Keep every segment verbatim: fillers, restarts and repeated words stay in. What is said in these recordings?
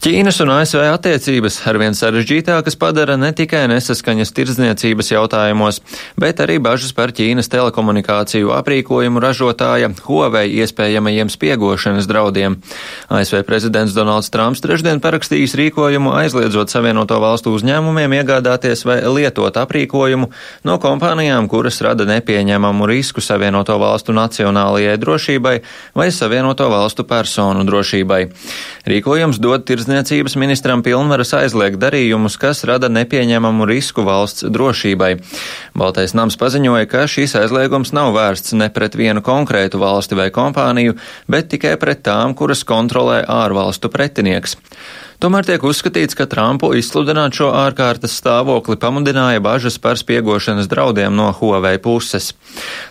Ķīnas un A S V attiecības arvien sarežģītākas padara ne tikai nesaskaņas tirdzniecības jautājumos, bet arī bažas par Ķīnas telekomunikāciju aprīkojumu ražotāja Huawei iespējamajiem spiegošanas draudiem. A S V prezidents Donalds Trumps trešdien parakstījis rīkojumu aizliedzot Savienoto valstu uzņēmumiem iegādāties vai lietot aprīkojumu no kompānijām, kuras rada nepieņemamu risku Savienoto valstu nacionālajai drošībai vai Savienoto valstu personu drošībai. Rīkojums dod tirdzniecības Tirdzniecības ministram pilnvaras aizliegt darījumus, kas rada nepieņemamu risku valsts drošībai. Baltais nams paziņoja, ka šīs aizliegums nav vērsts ne pret vienu konkrētu valsti vai kompāniju, bet tikai pret tām, kuras kontrolē ārvalstu pretinieks. Tomēr tiek uzskatīts, ka Trumpu izsludināt šo ārkārtas stāvokli pamudināja bažas par spiegošanas draudiem no Huawei puses.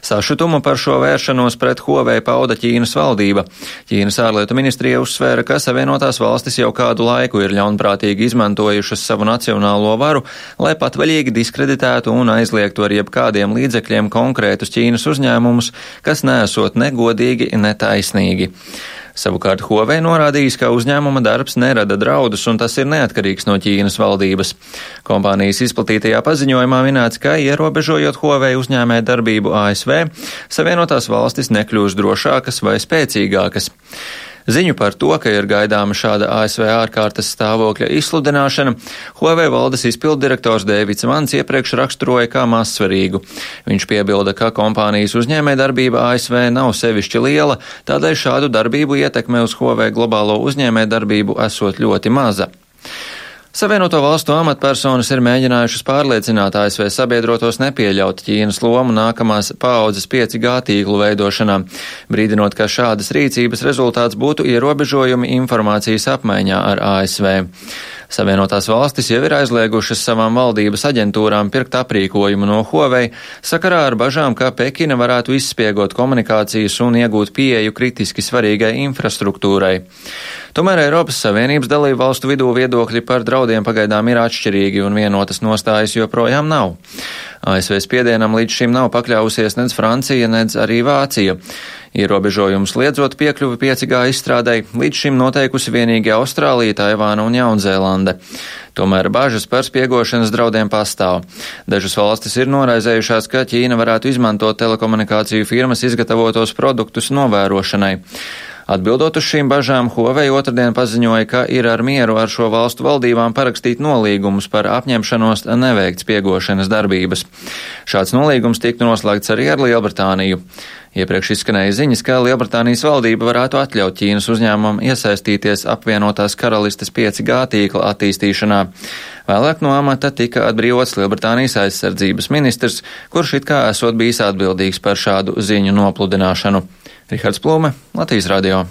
Sašutumu par šo vēršanos pret Huawei pauda Ķīnas valdība. Ķīnas ārlietu ministrija uzsvēra, ka Savienotās valstis jau kādu laiku ir ļaunprātīgi izmantojušas savu nacionālo varu, lai patvaļīgi diskreditētu un aizliegtu ar jebkādiem līdzekļiem konkrētus Ķīnas uzņēmumus, kas neesot negodīgi, netaisnīgi. Savukārt Huawei norādījis, ka uzņēmuma darbs nerada draudus un tas ir neatkarīgs no Ķīnas valdības. Kompānijas izplatītajā paziņojumā minēts, ka ierobežojot Huawei uzņēmē darbību A S V, Savienotās valstis nekļūs drošākas vai spēcīgākas. Ziņu par to, ka ir gaidāma šāda A S V ārkārtas stāvokļa izsludināšana, Huawei valdes izpilddirektors Dēvids Vans iepriekš raksturoja kā mazsvarīgu. Viņš piebilda, ka kompānijas uzņēmējdarbība A S V nav sevišķi liela, tādēļ šādu darbību ietekme uz Huawei globālo uzņēmējdarbību esot ļoti maza. Savienoto valstu amatpersonas ir mēģinājušas pārliecināt A S V sabiedrotos nepieļaut Ķīnas lomu nākamās paaudzes pieci G tīklu veidošanā, brīdinot, ka šādas rīcības rezultāts būtu ierobežojumi informācijas apmaiņā ar A S V. Savienotās valstis jau ir aizliegušas savām valdības aģentūrām pirkt aprīkojumu no Huawei sakarā ar bažām, ka Pekina varētu izspiegot komunikācijas un iegūt pieeju kritiski svarīgai infrastruktūrai. Tomēr Eiropas Savienības dalību valstu vidū viedokļi par draudiem pagaidām ir atšķirīgi un vienotas nostājas joprojām nav. A S V spiedienam līdz šim nav pakļausies nedz Francija, nedz arī Vācija. Ierobežojums liedzot piekļuvi pieci G izstrādei līdz šim noteikusi vienīgi Austrālija, Taivāna un Jaunzēlande. Tomēr bažas par spiegošanas draudiem pastāv. Dažas valstis ir noraizējušās, ka Ķīna varētu izmantot telekomunikāciju firmas izgatavotos produktus novērošanai. Atbildot uz šīm bažām, Huawei otrdien paziņoja, ka ir ar mieru ar šo valstu valdībām parakstīt nolīgumus par apņemšanos neveikt spiegošanas darbības. Šāds nolīgums tiktu noslēgts arī ar Lielbritāniju. Iepriekš izskanēja ziņas, ka Lielbritānijas valdība varētu atļaut Ķīnas uzņēmumam iesaistīties apvienotās karalistes pieci G tīkla attīstīšanā. Vēlāk no amata tika atbrīvots Lielbritānijas aizsardzības ministrs, kurš it kā esot bijis atbildīgs par šādu ziņu nopludināšanu. Rihards Plūme, Latvijas radio.